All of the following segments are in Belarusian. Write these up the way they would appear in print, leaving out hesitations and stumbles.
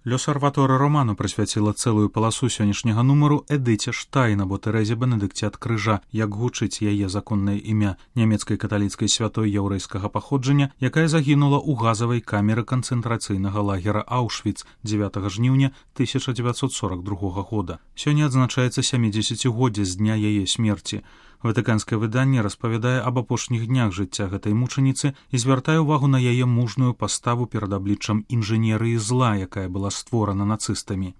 Лёс-Арватора Роману прысвяціла цэлую паласу сённяшняга нумару Эдыце Штайн або Тэрэзе Бенедыкце ад крыжа, як гучыць яе законнае імя, нямецкай каталіцкай святой яўрэйскага паходжання, якая загінула ў газавай камеры канцэнтрацыйнага лагера Аўшвіц 9 жніўня 1942 года. Сёння адзначаецца 70-годдзе з дня яе смерці. Ватыканскае выданне распавядае аб апошніх днях жыцця гэтай мучаніцы і звяртае ўвагу на яе мужную паставу перад абліччам інжынерыі зла, якая была створана нацыстамі.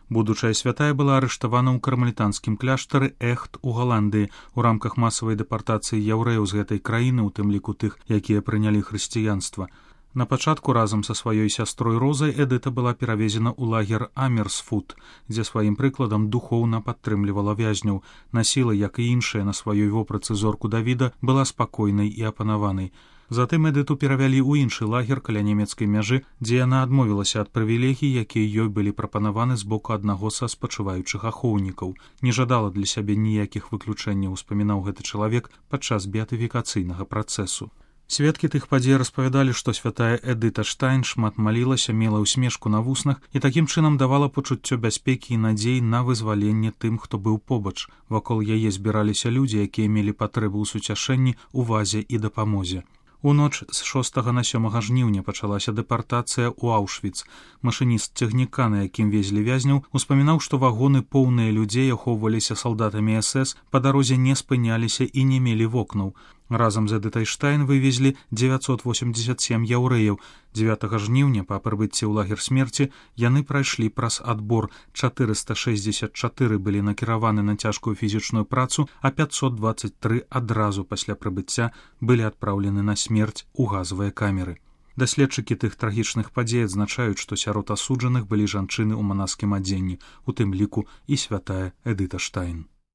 Будучая святая была арыштавана ў кармелітанскім кляштары Эхт у Галандыі ў рамках масавай дэпартацыі яўрэяў з гэтай краіны, у тым ліку тых, якія прынялі хрысціянства. На пачатку разам са сваёй сястрой Розай Эдыта была перавезена ў лагер Амерсфут, дзе сваім прыкладам духоўна падтрымлівала вязняў, насіла, як і іншыя на сваёй вопратцы зорку Давіда, была спакойнай і апанаванай. Затым Эдыту перавялі ў іншы лагер каля нямецкай мяжы, дзе яна адмовілася ад прывілегій, якія ёй былі прапанаваны з боку аднаго са спачуваючых ахоўнікаў. Не жадала для сябе ніякіх выключэнняў, успамінаў гэты чалавек падчас беатыфікацыйнага працэсу. Сведкі тых падзей распавядалі, што святая Эдыта Штайн шмат малілася, мела ўсмешку на вуснах і такім чынам давала пачуццё бяспекі і надзей на вызваленне тым, хто быў побач. Вакол яе збіраліся людзі, якія мелі патрэбу ў суцяшэнні, увазе і дапамозе. У ноч з 6 на 7 жніўня пачалася дэпартацыя ў Аўшвіц. Машыніст цягніка, на якім везлі вязняў, успамінаў, што вагоны, поўныя людзей, ахоўваліся салдатамі СС, па дарозе не спыняліся і не мелі вокнаў. Разам з Эдытай Штайн вывезлі 987 яўрэяў. 9 жніўня, па прыбыцці ў лагер смерці, яны прайшлі праз адбор. 464 былі накіраваны на цяжкую фізічную працу, а 523 адразу пасля прыбыцця былі адпраўлены на смерць у газавыя камеры. Даследчыкі тых трагічных падзей адзначаюць, што сярод асуджаных былі жанчыны ў манаскім адзенні, у тым ліку і святая Эдыта Штайн.